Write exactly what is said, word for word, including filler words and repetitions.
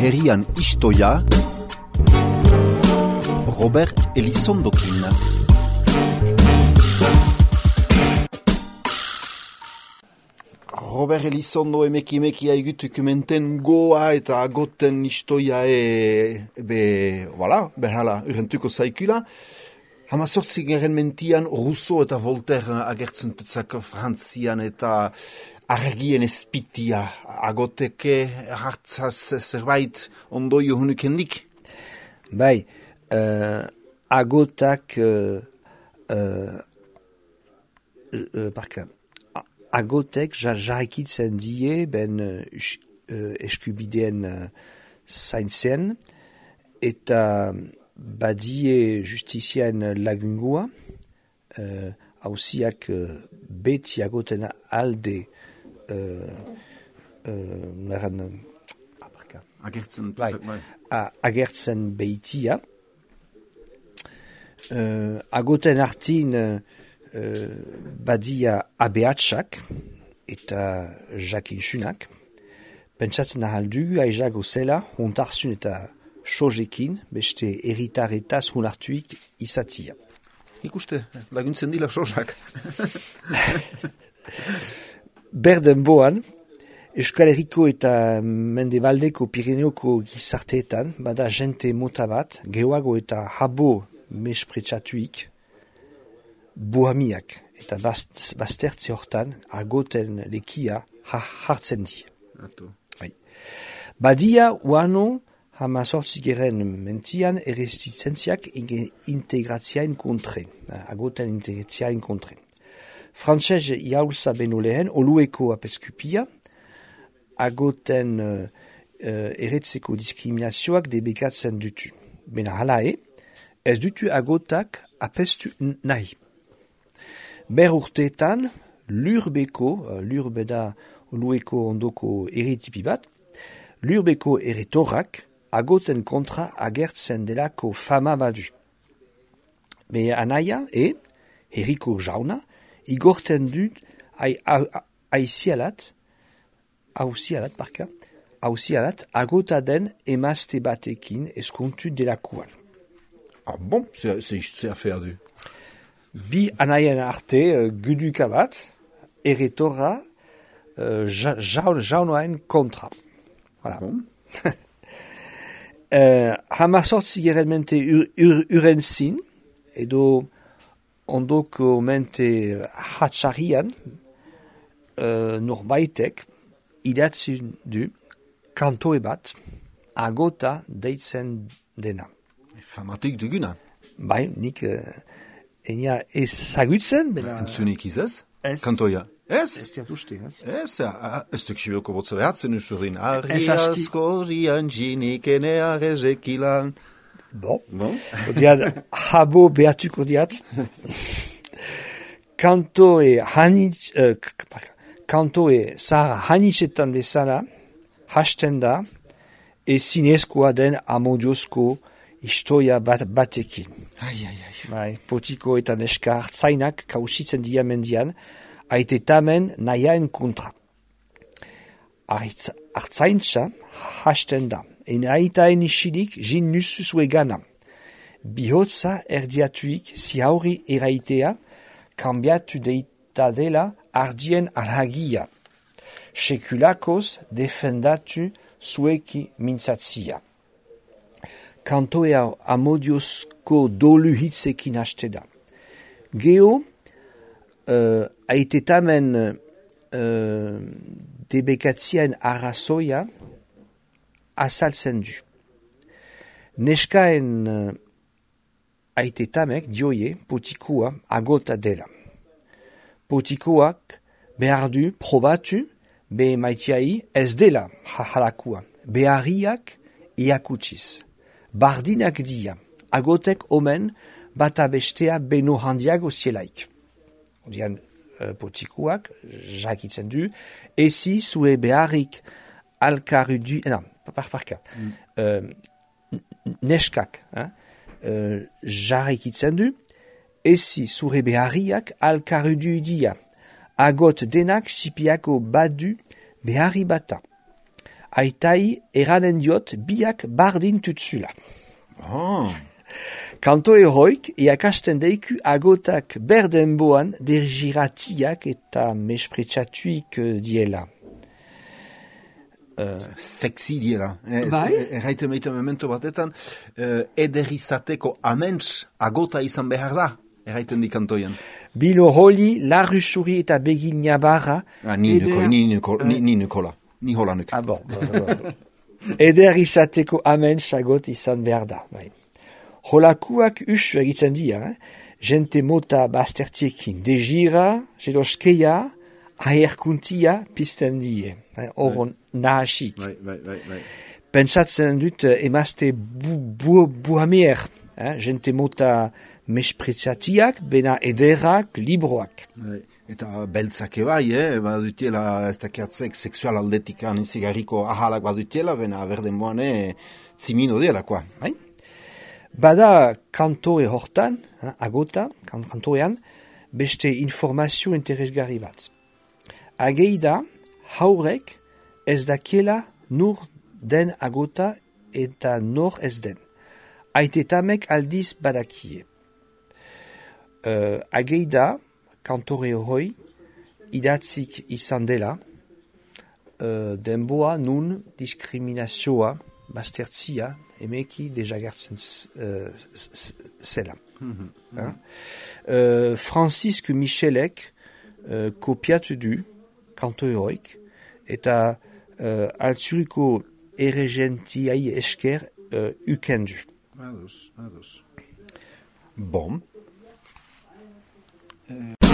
herrian istoia, Robert Elizondokin. Robert Elizondo emeki emeki haigutuk menten goa eta agoten istoia e... be... voilà, behala, urrentuko zaikula. Hama sortzi geren mentian Rousseau eta Voltaire agertzen tutzak Frantzian eta argien espitia agoteke hartzaz zerbait ondoio hunukendik? Bai, uh, agotak uh, uh, uh, parka, agotek jarraikitzen die ben uh, eskubideen uh, zaintzen eta badie justizien lagungua, uh, hausiak uh, beti agoten alde uh, uh, naran, agertzen, bai, a, agertzen behitia. Uh, agoten artin uh, badia abeatsak eta jakinsunak. Pentsatzen ahaldu, aizak ozela, hontarzun eta sojekin, beste erritaretaz honartuik izatia. Ikuste, laguntzen dila sojak. Berden boan, Euskal Herriko eta Mendebaldeko Pirineoko gizarteetan, bada jente mota bat, geoago eta habo mespretsatuik, bohamiak eta bast, bastertze hortan agoten lekia ha, hartzen di. Bai. Badia uano hama sortzigeren mentian erresistentziak integratziain kontre, agoten integratziain kontre. Frantzez jaulza beno lehen, olueko apeskupia, agoten uh, uh, eretzeko diskriminazioak debekatzen dutu. Bena halae, ez dutu agotak apestu nahi. Ber urteetan, lurbeko, uh, lurbeda olueko ondoko eritipi bat, lurbeko eretorak agoten kontra agertzen delako fama badu. Be anaia e, herriko jauna, igorten dut aizialat, hauzialat, parka, hauzialat, agota den emazte batekin eskontu delakoan. Ah bon, c'est affaire du. Bi anaien arte uh, guduka bat, eretora uh, ja, jaun, jaunoain kontra. Voilà. Bon. uh, hama sortzi gerelmente ur, ur, urenzin, edo ondoko mente hatxarian, uh, norbaitek, idatzen du kantoe bat agota deitzen dena. Famatik duguna. Bai, nik uh, enia ezagutzen. Bena... Entzunik izaz? Ez. Kantoia? Ez? Ez diat uste, ez? Ez, ez duk sibioko botze behatzen usurin. Arriaskorian jinikene arrezekilan. Bon. Bon. Odiad, habo behatuko diat. Kantoe hanitz... Uh, kantoe zahar hanitzetan bezala, hasten da, ezinezkoa den amodiozko historia bat, batekin. Ai, ai, ai. Bai, potiko eta neska hartzainak kausitzen dia mendian, aite tamen nahiaen kontra. Hartzaintza hasten da, en aitaen isilik jin nusuzue gana. Bihotza erdiatuik zihauri eraitea, kambiatu deita dela ardien alhagia. Sekulakoz defendatu zueki mintzatzia. Kantoea amodiozko dolu hitzekin haste da. Geo, uh, aitetamen uh, debekatzien arrazoia azaltzen du. Neskaen uh, aitetamek dioie potikoa agota dela. Potikoak behar du probatu be maitiai ez dela jajalakua. Beharriak iakutsiz. Bardinak dia, agotek omen bata bestea beno handiago zielaik. Odian uh, potikoak jakitzen du, ezi zue beharrik alkarudu, non, par parka, mm. uh, neskak, hein, uh, jarrikitzen du, ezi zure beharriak alkarudu dia, agot denak sipiako badu beharri bata. aitai eranen diot biak bardin tutzula. Oh. Kanto eroik iakasten deiku agotak berdenboan dergiratiak eta mespretsatuik diela. Uh, Sexy diela. Bai? Erraiten meite memento batetan, uh, ederizateko aments agota izan behar da, erraiten di kantoian. Bilo holi, larrusuri eta begina barra. Ah, ni, nuko, ni, nuko, ni, ni nukola, ni hola nuko. Ah, bon. bon, bon. Eder izateko aments agot izan behar da. Bai. Holakuak usu egitzen dira, eh? Jente mota baztertiekin degira, jeloskeia, aherkuntia pizten die. Hor eh? Nahasik. Bai, bai, bai, bai. Pentsatzen dut emazte bu, bu, buhamier, eh? Jente mota mespretsatiak, bena ederrak, libroak. Bai. Eta beltzak ebai, eh? Badutiela ez dakiatzek seksual aldetikan izigarriko ahalak badutiela, bena berden boane zimino dielakoa. Bai? Bada kantore hortan, eh, agota, kantorean, beste informazio interesgarri bat. Ageida, haurek ez dakiela nur den agota eta nor ez den. Aitetamek aldiz badakie. Uh, ageida, kantore hori, idatzik izan dela, uh, denboa nun diskriminazioa, baztertzia, emeki dejagertzen uh, zela. Mm-hmm. Uh, Francisque Michelek uh, kopiatu du kantoreoik eta uh, altzuriko erregentiai esker uh, ukendu. Ados, ados. Bon. Uh...